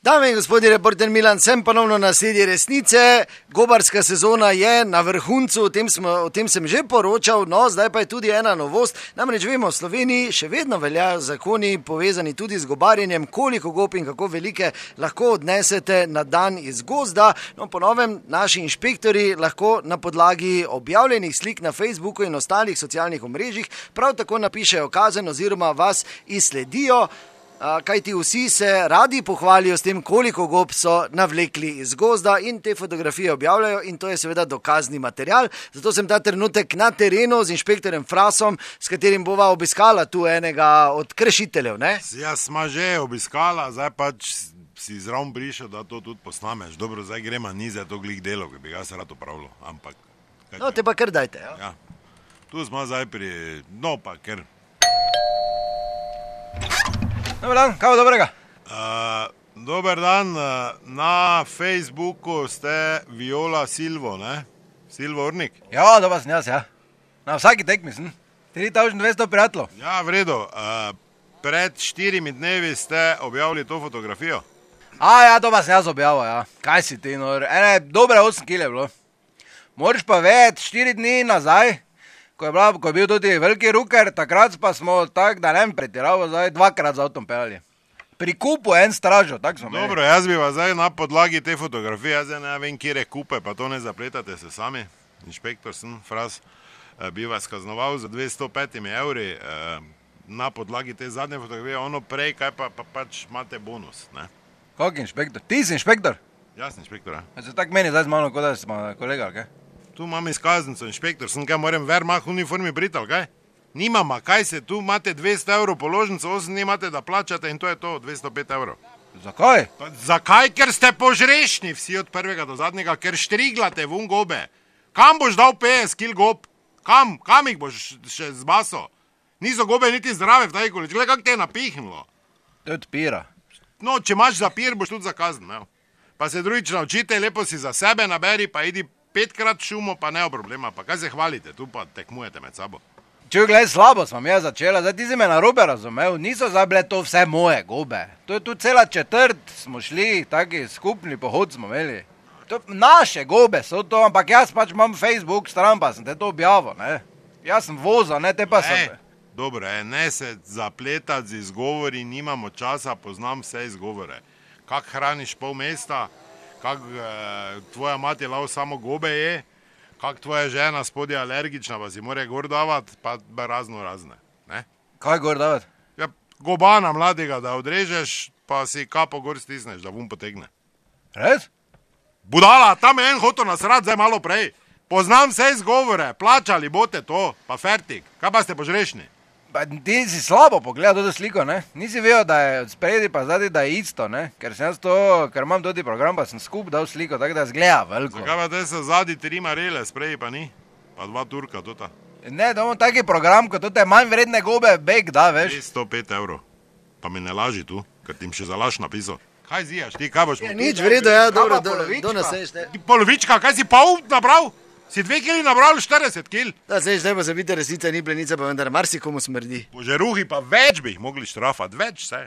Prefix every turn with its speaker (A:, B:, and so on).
A: Dame in gospodje, reporter Milan, sem ponovno na sedi resnice. Gobarska sezona je na vrhuncu, o tem sem že poročal, no zdaj pa je tudi ena novost. Namreč vemo, v Sloveniji še vedno veljajo zakoni povezani tudi z gobarjenjem, koliko gob in kako velike lahko odnesete na dan iz gozda. No, po novem naši inšpektori lahko na podlagi objavljenih slik na Facebooku in ostalih socialnih omrežjih prav tako napišejo kazen oziroma vas izsledijo. Kajti vsi se radi pohvalijo s tem, koliko gob so navlekli iz gozda in te fotografije objavljajo in to je seveda dokazni material. Zato sem ta trenutek na terenu z inšpektorjem Frasom, s katerim bova obiskala tu enega od kršiteljev, ne?
B: Ja, sma že obiskala, zdaj pač si zraven prišel, da to tudi posnameš. Dobro, zdaj gremo ni za to glih delo, ki bi ga se rad opravilo, ampak...
A: No, te pa kar dajte, ja?
B: Ja, tu smo zdaj no pa ker...
C: Dobar dan, kaj bo dobrega?
B: Dober dan, na Facebooku ste Viola Silvo, ne? Silvo Urnik?
C: Ja, dobar sem jaz, ja. Na vsaki tekmi sem. 3200 prijateljev.
B: Ja, v redu. Pred 4 dnevi ste objavili to fotografijo?
C: Ja, dobar sem jaz objavil, ja. Kaj si ti, nor? Dobre 8 kg je bilo. Moraš pa vedeti, 4 dni nazaj, ko je bil tudi veliki ruker, takrat pa smo tak, da ne pretiravo, zdaj 2-krat z avtom pelali. Pri kupu en stražo, tak smo imeli.
B: Dobro, jaz bi vas zdaj na podlagi te fotografije, jaz ne vem, kjere kupe, pa to ne zapletate se sami, inšpektor sem, Fras, bi vas kaznoval za 205 evri na podlagi te zadnje fotografije, ono prej, kaj pa pač imate bonus, ne?
C: Kak inšpektor? Ti si inšpektor?
B: Jaz sem inšpektor, ja.
C: Se tak meni zdaj z mano, kot da smo kolega, ali kaj?
B: Tu imam izkaznico, inšpektor, sem kaj moram vermah v uniformi briti, ali kaj? Nimama, kaj se, tu imate 200 evrov položnico, 8 dni imate, da plačate in to je to, 205 evrov.
C: Zakaj?
B: Pa zakaj? Ker ste požrešni vsi od prvega do zadnjega, ker štriglate vun gobe. Kam boš dal 50 kil gob? Kam jih boš še zbaso? Niso gobe niti zdrave v taj količ, gledaj, kak te je napihnilo.
C: To je odpira.
B: No, če imaš zapir, boš tudi zakazan, ne? Pa se drugič naučite, lepo si za sebe naberi, pa idi 5-krat šumo, pa ne problema, pa kaj se hvalite, tu pa tekmujete med sabo.
C: Če gledaj, slabo sem jaz začela, zdaj ti si me narobe razumel, niso zdaj bile to vse moje gobe. To je tu cela četrt, smo šli, taki skupni pohod smo imeli. To naše gobe so to, ampak jaz pač imam Facebook stran, pa sem te to objavil, ne. Jaz sem vozal, ne, te pa sem...
B: Dobro, ne se zapletati z izgovori, nimamo časa, poznam vse izgovore. Kak hraniš pol mesta, kak tvoja mati lao samo gobe je, kak tvoja žena spodje alergična, pa si more gor davati, pa razne, ne?
C: Kaj gor davati?
B: Ja, gobana mladega, da odrežeš, pa si kapo gor stisneš, da vun potegne.
C: Res?
B: Budala, tam je en hotel nasrati, zdaj malo prej. Poznam vse izgovore, plačali bote to, pa fertik. Kaj pa ste požrešni?
C: Pa ti si slabo pogledal to sliko, ne? Nisi vedel, da je spredi pa zadnji, da je isto, ne? Ker sem jaz to, ker imam tudi program, pa sem skup dal sliko, tako da zgleda veliko.
B: Zakaj pa te so zadnji 3 marele, spredi pa ni? Pa 2 turka, tota.
C: Ne, da imam taki program, kot to je manj vredne gobe, beg da, veš?
B: 105 evrov. Pa mi ne laži tu, ker ti še za laž napisal. Kaj zijaš ti, kaj boš...
A: Ja, nič vredo, ja, dobro, do naslednjič, ne?
B: Polovička, kaj si pol nabral? Si 2 kili nabral, 40 kil?
A: Da, zdaj pa zabite resnica, ni plenica, pa vendar marsikomu smrdi.
B: Požeruhi pa več bi jih mogli štrafati, več vse.